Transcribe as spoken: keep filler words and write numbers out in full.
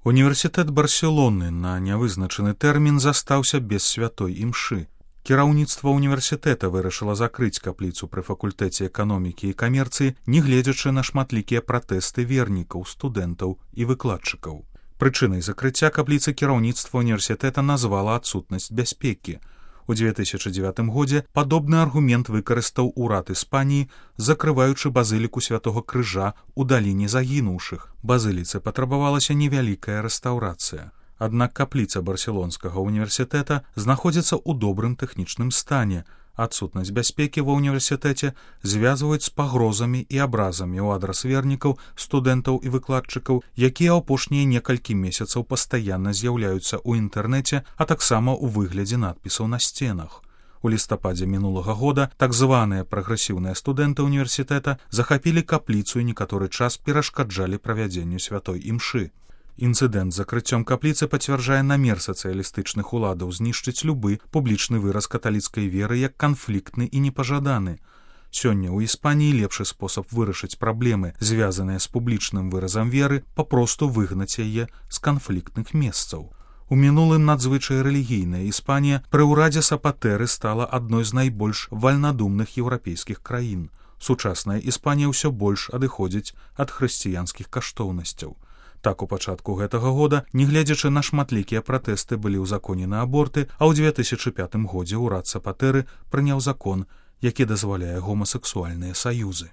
Універсітэт Барселоны на нявызначаны тэрмін застаўся без святой імшы. Кіраўніцтва універсітэта вырашыла закрыць капліцу пры факультэце эканомікі і камерцыі, нягледзячы на шматлікія пратэсты вернікаў, студэнтаў і выкладчыкаў. Прычынай закрыцця капліцы кіраўніцтва універсітэта назвала адсутнасць бяспекі. У дзве тысячы дзевятым годзе падобны аргумент выкарыстаў урад Іспаніі, закрываючы базыліку святого крыжа ў даліне загінуўшых. Базыліцы патрабавалася невялікая рэстаўрацыя. Аднак капліца барселонскага універсітэта знаходзіцца ў добрым тэхнічным стане. Адсутнасць бяспекі ва ўніверсітэце звязваюць з пагрозамі і абразамі ў адрас вернікаў, студэнтаў і выкладчыкаў, якія апошнія некалькі месяцаў пастаянна з'яўляюцца ў інтэрнэце, а таксама ў выглядзе надпісаў на сценах. У лістападзе мінулага года так званыя прагрэсіўныя студэнты універсітэта захапілі капліцу і некаторы час перашкаджалі правядзенню святой імшы. Інцыдэнт з закрыццём капліцы пацвярджае намер сацыялістычных уладаў знішчыць любы публічны выраз каталіцкай веры як канфліктны і непажаданы. Сёння ў Іспаніі лепшы спосаб вырашыць праблемы, звязаныя з публічным выразам веры, папросту выгнаць яе з канфліктных месцаў. У мінулым надзвычай рэлігійная Іспанія пры ўрадзе Сапатэры стала адной з найбольш вальнадумных еўрапейскіх краін. Сучасная Іспанія ўсё больш адыходзіць ад хрысціянскіх каштоўнасцяў. Так у пачатку гэтага года, нягледзячы на шматлікія пратэсты, былі ўзаконены аборты, а ў дзве тысячы пятым годзе ўрад Сапатэры прыняў закон, які дазваляе гомасексуальныя саюзы.